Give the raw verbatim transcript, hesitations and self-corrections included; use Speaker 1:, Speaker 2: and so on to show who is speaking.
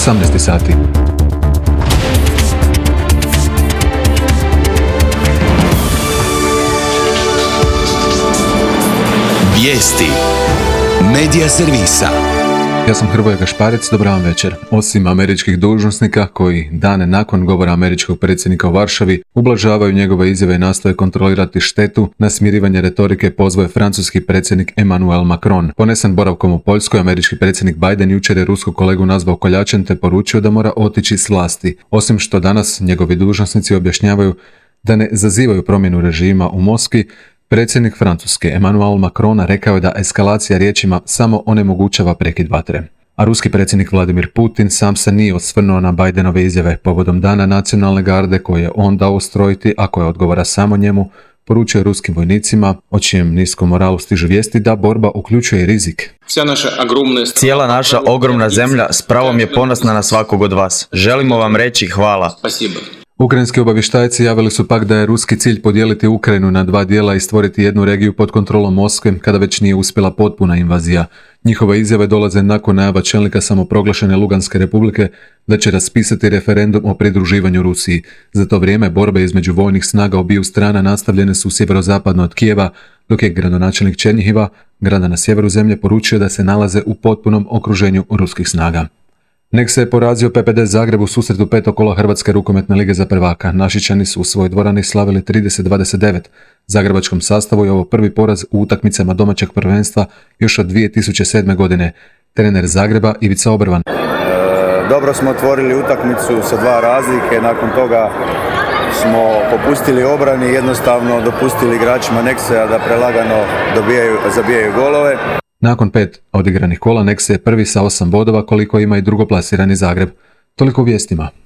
Speaker 1: osamnaest sati.
Speaker 2: Vijesti Medija servisa.
Speaker 1: Ja sam Hrvoje Gašparec, dobar vam večer. Osim američkih dužnosnika koji dane nakon govora američkog predsjednika u Varšavi ublažavaju njegove izjave i nastoje kontrolirati štetu, na smirivanje retorike pozvao je francuski predsjednik Emmanuel Macron. Ponesen boravkom u Poljskoj, američki predsjednik Biden jučer je ruskog kolegu nazvao koljačem te poručio da mora otići s vlasti. Osim što danas njegovi dužnosnici objašnjavaju da ne zazivaju promjenu režima u Moskvi, predsjednik Francuske Emmanuel Macron rekao je da eskalacija riječima samo onemogućava prekid vatre. A ruski predsjednik Vladimir Putin sam se nije osvrnuo na Bidenove izjave povodom Dana nacionalne garde koje je on dao ustrojiti, a koje odgovara samo njemu, poručio ruskim vojnicima, o čijem niskom moralu stižu vijesti da borba uključuje rizik.
Speaker 3: Cijela naša ogromna zemlja s pravom je ponosna na svakog od vas. Želimo vam reći hvala.
Speaker 1: Ukrajinski obavještajci javili su pak da je ruski cilj podijeliti Ukrajinu na dva dijela i stvoriti jednu regiju pod kontrolom Moskve kada već nije uspjela potpuna invazija. Njihove izjave dolaze nakon najava čelnika samoproglašene Luganske republike da će raspisati referendum o pridruživanju Rusiji. Za to vrijeme borbe između vojnih snaga obiju strana nastavljene su sjeverozapadno od Kijeva, dok je gradonačelnik Černjihiva, grada na sjeveru zemlje, poručio da se nalaze u potpunom okruženju ruskih snaga. Nek se je porazio P P D Zagreb u susretu petog kola Hrvatske rukometne lige za prvaka. Našičani su u svojoj dvorani slavili trideset dvadeset devet. Zagrebačkom sastavu je ovo prvi poraz u utakmicama domaćeg prvenstva još od dvije tisuće sedme. godine. Trener Zagreba Ivica Obrvan.
Speaker 4: E, dobro smo otvorili utakmicu sa dva razlike, nakon toga smo popustili obrani i jednostavno dopustili igračima Nexea da prelagano dobijaju, zabijaju golove.
Speaker 1: Nakon pet odigranih kola Nexe je prvi sa osam bodova koliko ima i drugoplasirani Zagreb. Toliko u vijestima.